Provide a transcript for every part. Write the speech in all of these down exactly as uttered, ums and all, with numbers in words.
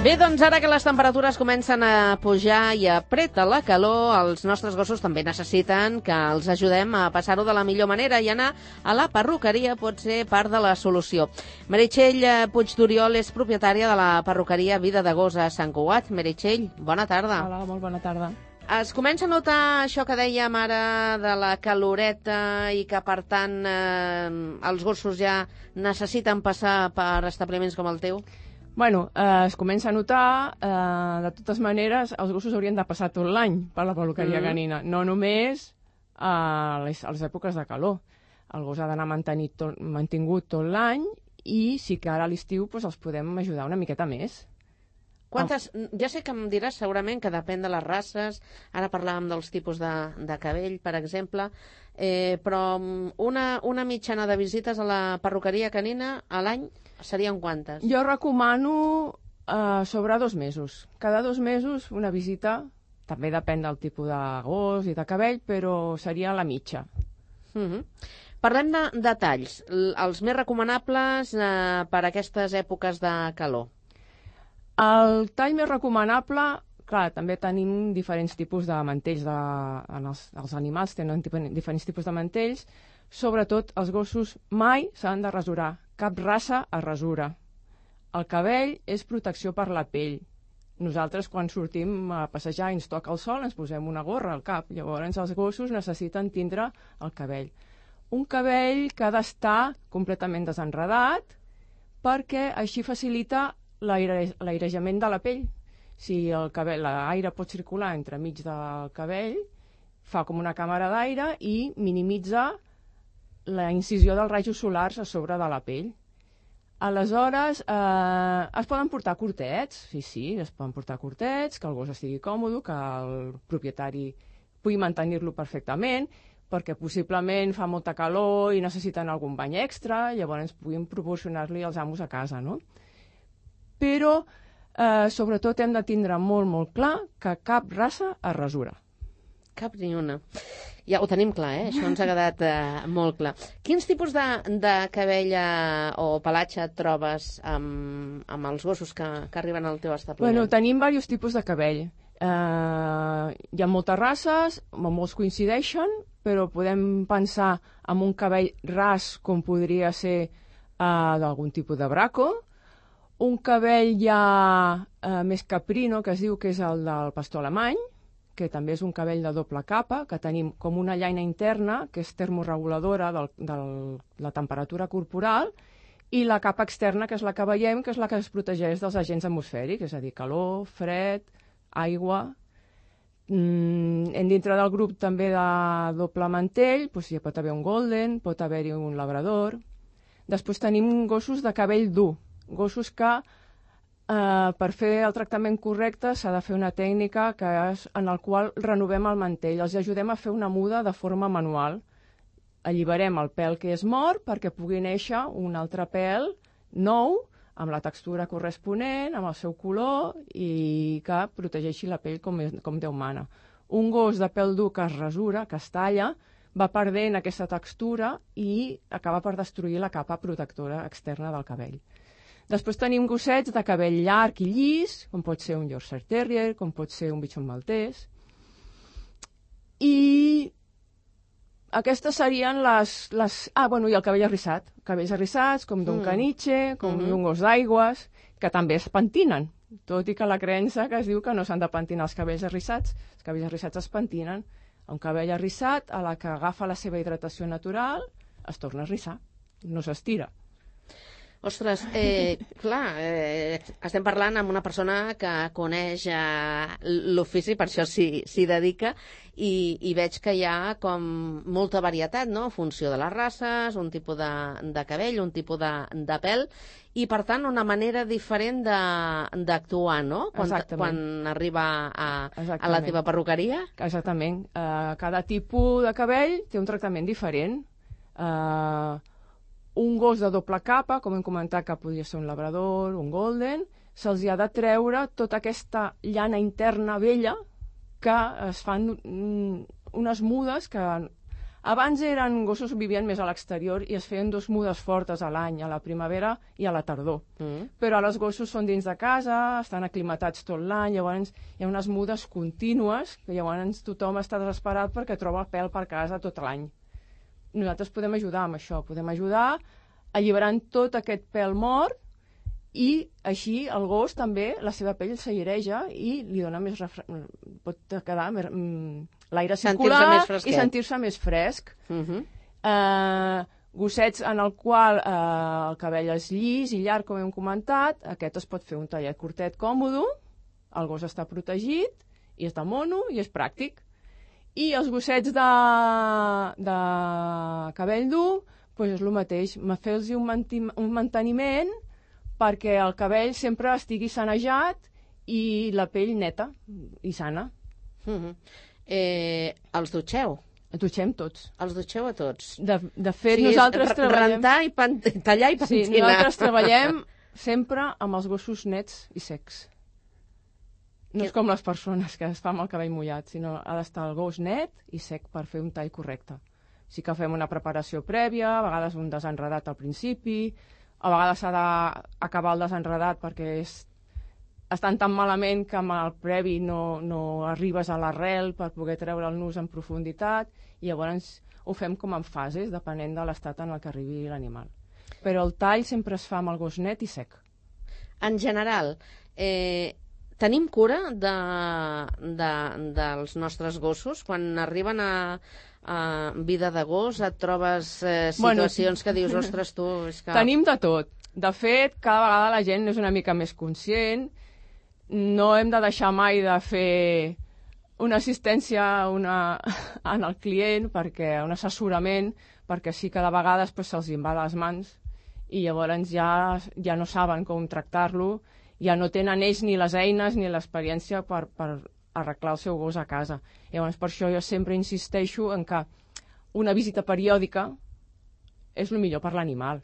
Bé, doncs ara que les temperatures comencen a pujar i apreta la calor, els nostres gossos també necessiten que els ajudem a passar-ho de la millor manera i anar a la perruqueria pot ser part de la solució. Meritxell Puig d'Oriol és propietària de la perruqueria Vida de Gos a Sant Cugat. Meritxell, bona tarda. Hola, molt bona tarda. Es comença a notar això que dèiem ara de la caloreta i que, per tant, eh, els gossos ja necessiten passar per establiments com el teu? Bueno, eh, es comença a notar, eh, de totes maneres, els gossos haurien de passar tot l'any per la perruqueria mm. canina, no només a les, a les èpoques de calor. El gos ha d'anar tot, mantingut tot l'any i sí que ara a l'estiu pues, els podem ajudar una miqueta més. Quantes, ja sé que em diràs segurament que depèn de les races, ara parlàvem dels tipus de, de cabell, per exemple, eh, però una, una mitjana de visites a la perruqueria canina a l'any serien quantes? Jo recomano eh, sobre dos mesos. Cada dos mesos una visita, també depèn del tipus de gos i de cabell, però seria la mitja. Mm-hmm. Parlem de detalls, els més recomanables eh, per a aquestes èpoques de calor. El tall més recomanable, clar, també tenim diferents tipus de mantells. De, en els, els animals tenen diferents tipus de mantells. Sobretot, els gossos mai s'han de rasurar. Cap raça es rasura. El cabell és protecció per la pell. Nosaltres, quan sortim a passejar i ens toca el sol, ens posem una gorra al cap. Llavors, els gossos necessiten tindre el cabell. Un cabell que ha d'estar completament desenredat perquè així facilita l'airejament de la pell. Si el cabell, l'aire pot circular entremig del cabell, fa com una càmera d'aire i minimitza la incisió dels rajos solars a sobre de la pell. Aleshores, eh, es poden portar curtets, sí, sí, es poden portar curtets, que el gos estigui còmode, que el propietari pugui mantenir-lo perfectament, perquè possiblement fa molta calor i necessiten algun bany extra, llavors puguin proporcionar-li els amos a casa, no? Però, eh, sobretot, hem de tindre molt, molt clar que cap raça es rasura. Cap ni una. Ja ho tenim clar, eh? Això ens ha quedat eh, molt clar. Quins tipus de, de cabell eh, o pelatge et trobes amb, amb els gossos que, que arriben al teu establiment? Bueno, tenim diversos tipus de cabell. Eh, hi ha moltes races, molts coincideixen, però podem pensar en un cabell ras com podria ser eh, d'algun tipus de braco. Un cabell ja eh, més caprino, que es diu que és el del pastor alemany, que també és un cabell de doble capa, que tenim com una llaina interna, que és termoreguladora de la temperatura corporal, i la capa externa, que és la que veiem, que és la que es protegeix dels agents atmosfèrics, és a dir, calor, fred, aigua. Mm, dintre del grup també de doble mantell, doncs hi pot haver un golden, pot haver-hi un labrador. Després tenim gossos de cabell dur, gossos que eh, per fer el tractament correcte s'ha de fer una tècnica que és en el qual renovem el mantell, els ajudem a fer una muda de forma manual. Alliberem el pèl que és mort perquè pugui néixer un altre pèl nou, amb la textura corresponent, amb el seu color i que protegeixi la pell com, com Déu mana. Un gos de pèl dur que es rasura, que es talla, va perdent aquesta textura i acaba per destruir la capa protectora externa del cabell. Després tenim gossets de cabell llarg i llis, com pot ser un Yorkshire Terrier, com pot ser un Bichon Maltès. I aquestes serien les... les... Ah, bueno, i el cabell arrissat. Cabells arrissats, com d'un mm. caniche, com mm-hmm. d'un gos d'aigües, que també es pentinen. Tot i que la creença que es diu que no s'han de pentinar els cabells arrissats, els cabells arrissats es pentinen. Un cabell arrissat, a la que agafa la seva hidratació natural, es torna a arrissar, no s'estira. Ostres, eh, clar, eh, estem parlant amb una persona que coneix eh, l'ofici, per això s'hi, s'hi dedica, i, i veig que hi ha com molta varietat, no?, en funció de les races, un tipus de, de cabell, un tipus de, de pèl, i per tant una manera diferent d'actuar, no?, quan, quan arriba a, a la teva perruqueria. Exactament. Uh, cada tipus de cabell té un tractament diferent. Uh, un gos de doble capa, com hem comentat que podria ser un labrador, un golden, se'ls ha de treure tota aquesta llana interna vella que es fan unes mudes que Abans eren gossos que vivien més a l'exterior i es feien dos mudes fortes a l'any, a la primavera i a la tardor. Mm. Però ara els gossos són dins de casa, estan aclimatats tot l'any, llavors hi ha unes mudes contínues, que llavors tothom està desesperat perquè troba pèl per casa tot l'any. Nosaltres podem ajudar amb això, podem ajudar alliberant tot aquest pèl mort i així el gos també, la seva pell s'aireja i li dona més refre... pot quedar més, l'aire circular i sentir-se més fresc. Uh-huh. eh, gossets en el qual eh, el cabell és llis i llarg, com hem comentat, aquest es pot fer un tallet curtet còmode, el gos està protegit i és de mono i és pràctic. I els gossets de, de cabell dur, doncs és el mateix, fer-los un, manti- un manteniment perquè el cabell sempre estigui sanejat i la pell neta i sana. Mm-hmm. eh, els dutxeu? Els dutxem tots. Els dutxeu a tots? De, de fet, sí, nosaltres treballem... Rentar i pan... tallar i pentinar. Sí, nosaltres treballem sempre amb els gossos nets i secs. No és com les persones que es fan amb el cabell mullat, sinó ha d'estar el gos net i sec per fer un tall correcte. Sí que fem una preparació prèvia, a vegades un desenredat al principi, a vegades s'ha d'acabar el desenredat perquè és, estan tan malament que amb el previ no, no arribes a l'arrel per poder treure el nus en profunditat i llavors ho fem com en fases, depenent de l'estat en el que arribi l'animal. Però el tall sempre es fa amb el gos net i sec. En general, eh, tenim cura de, de, dels nostres gossos? Quan arriben a, a vida de gos et trobes eh, situacions bueno, que dius, ostres, tu... És que... Tenim de tot. De fet, cada vegada la gent és una mica més conscient. No hem de deixar mai de fer una assistència una, en el client, perquè un assessorament, perquè sí que de vegades pues, se'ls en va a les mans i llavors ja, ja no saben com tractar-lo, ja no tenen ells ni les eines ni l'experiència per, per arreglar el seu gos a casa. Llavors, per això jo sempre insisteixo en que una visita periòdica és el millor per l'animal,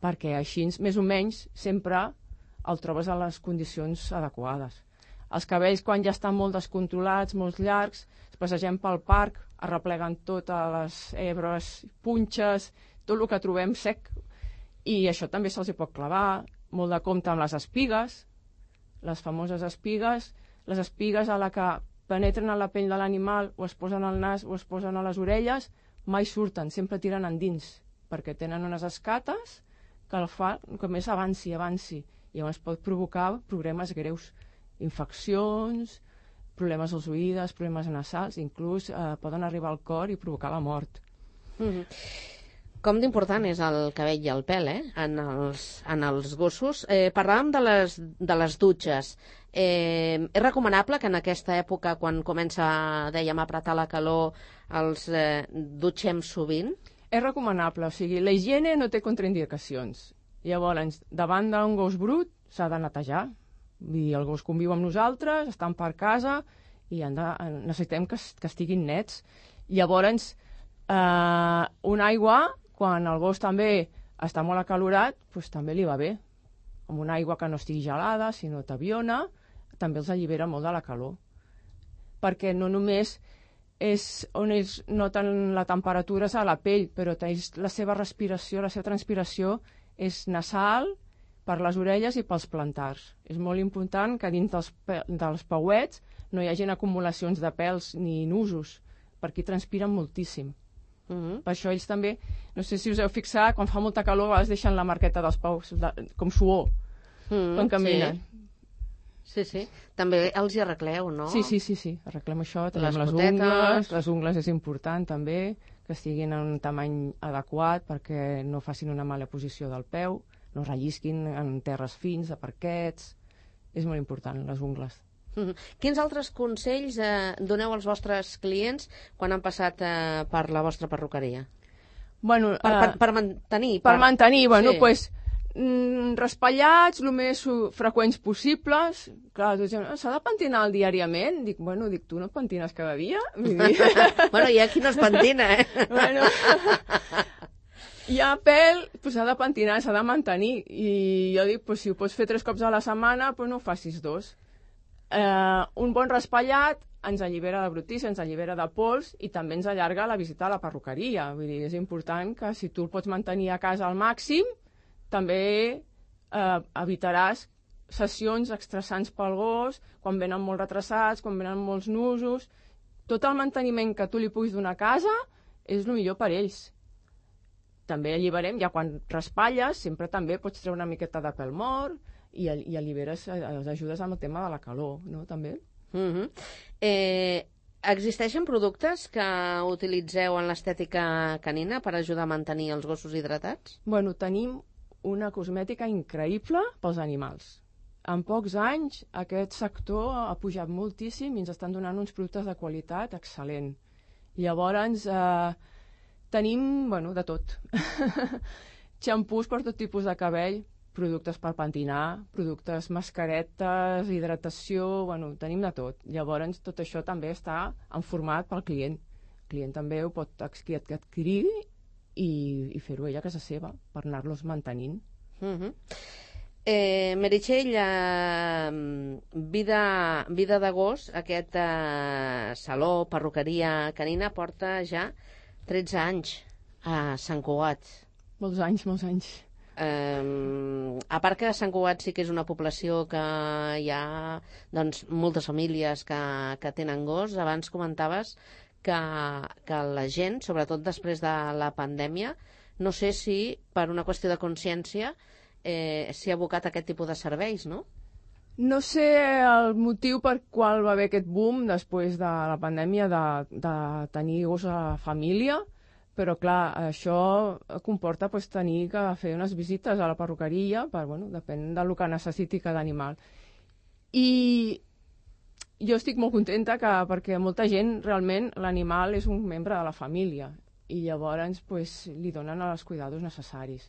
perquè així, més o menys, sempre el trobes a les condicions adequades. Els cabells, quan ja estan molt descontrolats, molt llargs, es passegem pel parc, arrepleguen totes les hebres, punxes, tot el que trobem sec, i això també se'ls hi pot clavar, molt de compte amb les espigues, les famoses espigues, les espigues a la que penetren a la pell de l'animal o es posen al nas o es posen a les orelles, mai surten, sempre tiren endins, perquè tenen unes escates que el fa que més avanci, avanci, i llavors pot provocar problemes greus, infeccions, problemes als oïdes, problemes nasals, inclús eh, poden arribar al cor i provocar la mort. Mm-hmm. Com d'important és el cabell i el pèl, eh? en, els, en els gossos. Eh, parlàvem de les, de les dutxes. Eh, és recomanable que en aquesta època, quan comença, dèiem, a apretar la calor, els eh, dutxem sovint? És recomanable, o sigui, la higiene no té contraindicacions. Llavors, davant d'un gos brut s'ha de netejar. I el gos conviu amb nosaltres, estan per casa i han de, necessitem que, que estiguin nets. Llavors, eh, una aigua, quan el gos també està molt acalorat, doncs també li va bé. Amb una aigua que no estigui gelada, sinó tabiona, també els allibera molt de la calor. Perquè no només és on ells noten la temperatura és a la pell, però la seva respiració, la seva transpiració és nasal, per les orelles i pels plantars. És molt important que dins dels, dels pauets no hi hagin acumulacions de pèls ni nusos, perquè transpiren moltíssim. Uh-huh. Per això ells també, no sé si us heu fixat, quan fa molta calor a vegades deixen la marqueta dels paus, de, com suor, uh-huh, quan caminen. Sí. sí, sí. També els hi arregleu, no? Sí, sí, sí, sí. Arreglem això, tenim les, les ungles, les ungles és important també, que estiguin en un tamany adequat perquè no facin una mala posició del peu, no rellisquin en terres fins, de parquets. És molt important, les ungles. Mm-hmm. Quins altres consells eh, doneu als vostres clients quan han passat eh, per la vostra perruqueria? Bueno, per, uh, per, per mantenir. Per, per mantenir, bueno, sí. pues, mm, raspallats, el més freqüents possibles. Clar, tu dius, s'ha de pentinar diàriament? Dic, bueno, dic, tu no et pentines cada dia? Bueno, hi ha qui no es pentina, eh? Bueno... Hi ha pèl, pues s'ha de pentinar, s'ha de mantenir. I jo dic, pues, si ho pots fer tres cops a la setmana, pues no ho facis dos. Eh, un bon raspallat ens allibera de brutícia, ens allibera de pols i també ens allarga la visita a la perruqueria. Vull dir, és important que si tu el pots mantenir a casa al màxim, també eh, evitaràs sessions estressants pel gos, quan venen molt retrasats, quan venen molts nusos. Tot el manteniment que tu li puguis donar a casa és el millor per ells. També alliberem, ja quan raspalles, sempre també pots treure una miqueta de pèl mort i, i alliberes, els ajudes amb el tema de la calor, no? També. Uh-huh. eh, existeixen productes que utilitzeu en l'estètica canina per ajudar a mantenir els gossos hidratats? Bueno, tenim una cosmètica increïble pels animals. En pocs anys aquest sector ha pujat moltíssim i ens estan donant uns productes de qualitat excel·lent. Llavors eh, tenim, bueno, de tot. Xampús per tot tipus de cabell, productes per pentinar, productes mascaretes, hidratació, bueno, tenim de tot. Llavors tot això també està en format pel client. El client també ho pot adquirir i, i fer-ho ella a casa seva per anar-los mantenint. Uh-huh. eh, Meritxell, eh, vida, vida de gos, aquest eh, saló, perruqueria canina, porta ja tretze anys a Sant Cugat. Molts anys, molts anys. Eh, a part que a Sant Cugat sí que és una població que hi ha doncs, moltes famílies que, que tenen gos. Abans comentaves que, que la gent, sobretot després de la pandèmia, no sé si per una qüestió de consciència eh, s'hi ha abocat a aquest tipus de serveis, no? No sé el motiu per qual va haver aquest boom després de la pandèmia de, de tenir gos a la família, però clar, això comporta pues, tenir que fer unes visites a la perruqueria, per, bueno, depèn del que necessiti cada animal. I jo estic molt contenta que, perquè molta gent realment l'animal és un membre de la família i llavors pues, li donen els cuidados necessaris.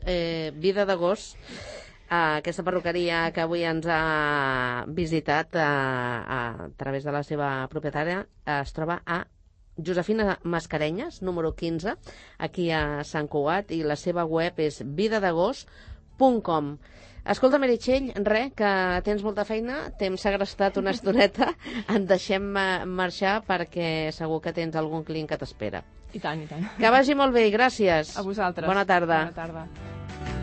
Eh, vida de gos, eh, aquesta perruqueria que avui ens ha visitat eh, a través de la seva propietària eh, es troba a Josefina Mascarenyes, número quinze, aquí a Sant Cugat, i la seva web és vida de gos punt com. Escolta, Meritxell, res, que tens molta feina, t'hem segrestat una estoneta, et deixem marxar perquè segur que tens algun client que t'espera. I tant, i tant. Que vagi molt bé i gràcies. A vosaltres. Bona tarda. Bona tarda.